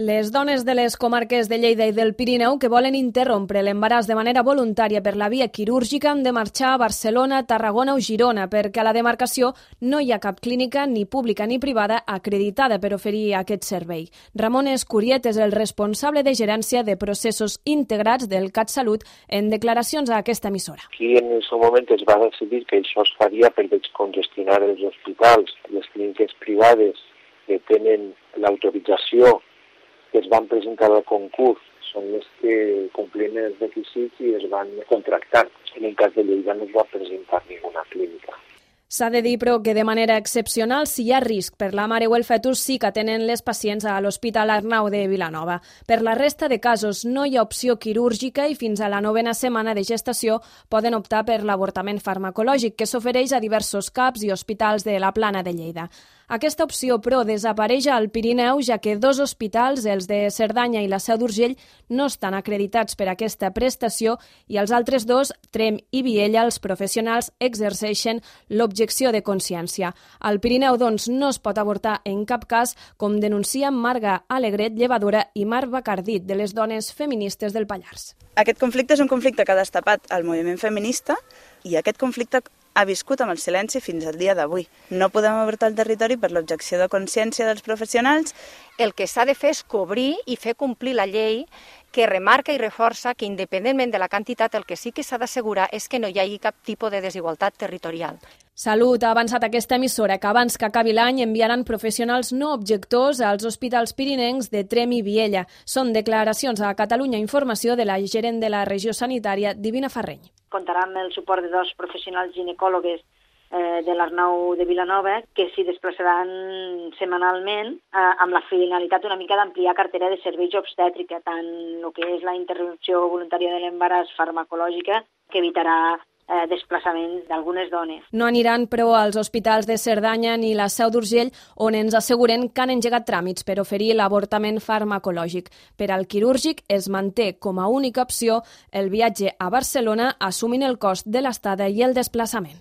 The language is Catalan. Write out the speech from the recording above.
Les dones de les comarques de Lleida i del Pirineu que volen interrompre l'embaràs de manera voluntària per la via quirúrgica han de marxar a Barcelona, Tarragona o Girona perquè a la demarcació no hi ha cap clínica ni pública ni privada acreditada per oferir aquest servei. Ramon Escuriet és el responsable de gerència de processos integrats del CatSalut en declaracions a aquesta emissora. Aquí en el seu moment es va decidir que això es faria per descongestionar els hospitals, les clíniques privades que tenen l'autorització que es van presentar al concurs són les que complien els requisits i es van contractar. En el cas de Lleida no es va presentar ninguna clínica. S'ha de dir, però, que de manera excepcional, si hi ha risc per la mare o el fetus, sí que atenen les pacients a l'Hospital Arnau de Vilanova. Per la resta de casos no hi ha opció quirúrgica i fins a la 9a setmana de gestació poden optar per l'avortament farmacològic que s'ofereix a diversos CAPs i hospitals de la Plana de Lleida. Aquesta opció, però, desapareix al Pirineu, ja que 2 hospitals, els de Cerdanya i la Seu d'Urgell, no estan acreditats per aquesta prestació i els altres 2, Tremp i Viella, els professionals exerceixen l'objecció de consciència. Al Pirineu, doncs, no es pot avortar en cap cas, com denuncia Marga Alegret, llevadora, i Marc Bacardit, de les dones feministes del Pallars. Aquest conflicte és un conflicte que ha destapat el moviment feminista i aquest conflicte ha viscut amb el silenci fins al dia d'avui. No podem avortar el territori per l'objecció de consciència dels professionals. El que s'ha de fer és cobrir i fer complir la llei que remarca i reforça que, independentment de la quantitat, el que sí que s'ha d'assegurar és que no hi hagi cap tipus de desigualtat territorial. Salut ha avançat aquesta emissora que abans que acabi l'any enviaran professionals no objectors als hospitals pirinencs de Tremp i Viella. Són declaracions a Catalunya Informació de la gerent de la regió sanitària, Divina Farreny. Comptarà amb el suport de 2 professionals ginecòlogues de l'Arnau de Vilanova que s'hi desplaçaran setmanalment amb la finalitat una mica d'ampliar cartera de serveis obstètrica, tant el que és la interrupció voluntària de l'embaràs farmacològica, que evitarà desplaçaments d'algunes dones. No aniran, però, als hospitals de Cerdanya ni la Seu d'Urgell, on ens asseguren que han engegat tràmits per oferir l'avortament farmacològic. Per al quirúrgic es manté com a única opció el viatge a Barcelona assumint el cost de l'estada i el desplaçament.